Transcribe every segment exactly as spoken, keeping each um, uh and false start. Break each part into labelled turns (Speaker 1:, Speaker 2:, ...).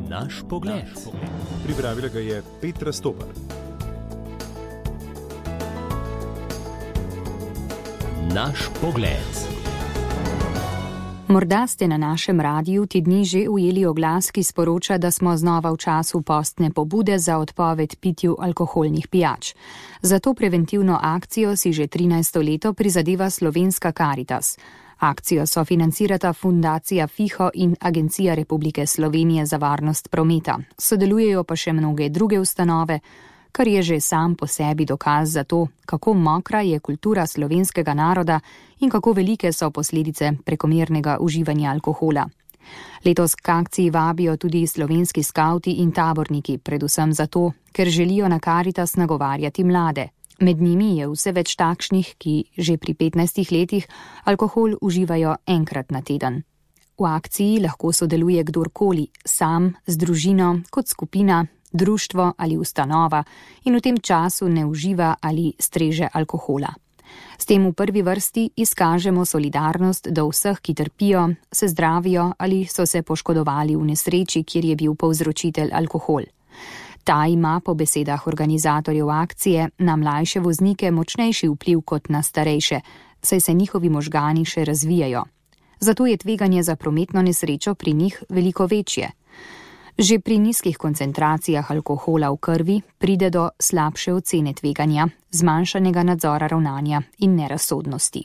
Speaker 1: Naš pogled.
Speaker 2: Pripravila ga je Petra Stopar.
Speaker 1: Naš pogled.
Speaker 3: Morda ste na našem radiju ti dni že ujeli oglas, ki sporoča, da smo znova v času postne pobude za odpoved pitju alkoholnih pijač. Za to preventivno akcijo si že trinajsto leto prizadeva Slovenska Karitas. Akcijo sofinancirata Fundacija FIHO in Agencija Republike Slovenije za varnost prometa. Sodelujejo pa še mnoge druge ustanove, kar je že sam po sebi dokaz za to, kako mokra je kultura slovenskega naroda in kako velike so posledice prekomernega uživanja alkohola. Letos k akciji vabijo tudi slovenski skavti in taborniki, predvsem zato, ker želijo na Karitas nagovarjati mlade. Med njimi je vse več takšnih, ki že pri petnajstih letih alkohol uživajo enkrat na teden. V akciji lahko sodeluje kdorkoli, sam, z družino, kot skupina, društvo ali ustanova in v tem času ne uživa ali streže alkohola. S tem v prvi vrsti izkažemo solidarnost do vseh, ki trpijo, se zdravijo ali so se poškodovali v nesreči, kjer je bil povzročitelj alkohol. Ta ima po besedah organizatorjev akcije na mlajše voznike močnejši vpliv kot na starejše, saj se njihovi možgani še razvijajo. Zato je tveganje za prometno nesrečo pri njih veliko večje. Že pri nizkih koncentracijah alkohola v krvi pride do slabše ocene tveganja, zmanjšanega nadzora ravnanja in nerazsodnosti.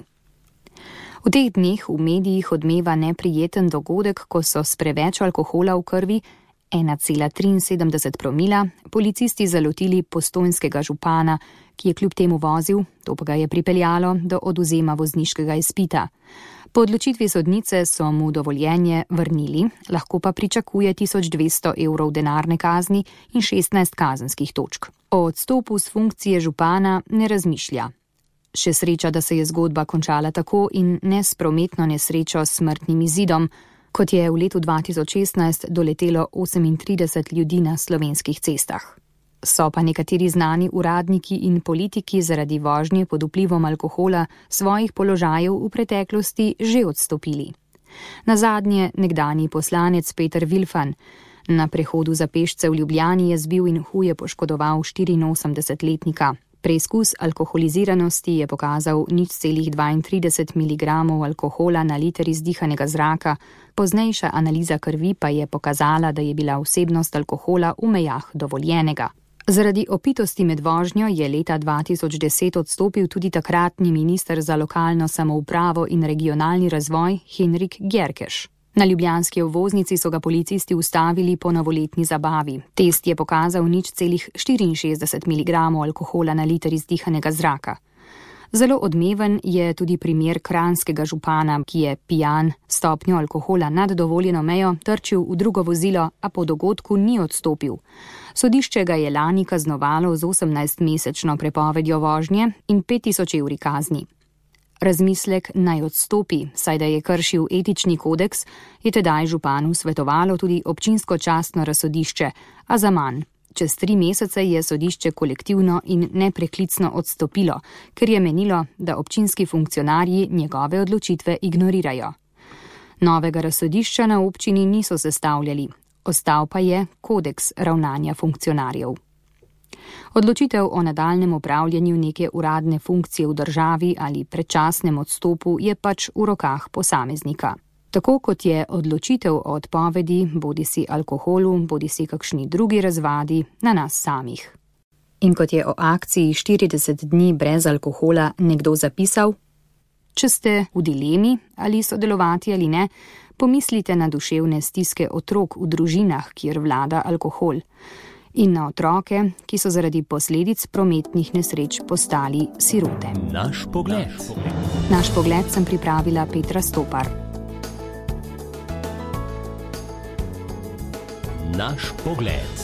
Speaker 3: V teh dneh v medijih odmeva neprijeten dogodek, ko so s preveč alkohola v krvi ena cela triinsedemdeset promila policisti zalotili postojnskega župana, ki je kljub temu vozil, to pa ga je pripeljalo do odvzema vozniškega izpita. Po odločitvi sodnice so mu dovoljenje vrnili, lahko pa pričakuje tisoč dvesto evrov denarne kazni in šestnajst kazenskih točk. O odstopu s funkcije župana ne razmišlja. Še sreča, da se je zgodba končala tako in ne s prometno nesrečo s smrtnim izidom, kot je v letu dva tisoč šestnajst doletelo osemintrideset ljudi na slovenskih cestah. So pa nekateri znani uradniki in politiki zaradi vožnje pod vplivom alkohola svojih položajev v preteklosti že odstopili. Nazadnje nekdanji poslanec Peter Vilfan na prehodu za pešce v Ljubljani je zbil in huje poškodoval štiriinosemdesetletnika. Preizkus alkoholiziranosti je pokazal nič celih dvaintrideset miligramov alkohola na liter izdihanega zraka, poznejša analiza krvi pa je pokazala, da je bila vsebnost alkohola v mejah dovoljenega. Zaradi opitosti med vožnjo je leta dva tisoč deset odstopil tudi takratni minister za lokalno samoupravo in regionalni razvoj Henrik Gjerkeš. Na ljubljanski obvoznici so ga policisti ustavili po novoletni zabavi. Test je pokazal nič celih štiriinšestdeset miligramov alkohola na liter izdihanega zraka. Zelo odmeven je tudi primer kranjskega župana, ki je pijan stopnjo alkohola nad dovoljeno mejo trčil v drugo vozilo, a po dogodku ni odstopil. Sodišče ga je lani kaznovalo z osemnajstmesečno prepovedjo vožnje in pet tisoč evri kazni. Razmislek naj odstopi, saj da je kršil etični kodeks, je tedaj županu svetovalo tudi občinsko častno razsodišče, a za manj. Čez tri mesece je sodišče kolektivno in nepreklicno odstopilo, ker je menilo, da občinski funkcionarji njegove odločitve ignorirajo. Novega razsodišča na občini niso sestavljali, ostal pa je kodeks ravnanja funkcionarjev. Odločitev o nadaljnjem opravljanju neke uradne funkcije v državi ali predčasnem odstopu je pač v rokah posameznika. Tako kot je odločitev o odpovedi, bodisi alkoholu, bodisi kakšni drugi razvadi, na nas samih. In kot je o akciji štirideset dni brez alkohola nekdo zapisal, če ste v dilemi ali sodelovati ali ne, pomislite na duševne stiske otrok v družinah, kjer vlada alkohol. In na otroke, ki so zaradi posledic prometnih nesreč postali sirote.
Speaker 1: Naš pogled.
Speaker 3: Naš pogled sem pripravila Petra Stopar.
Speaker 1: Naš pogled.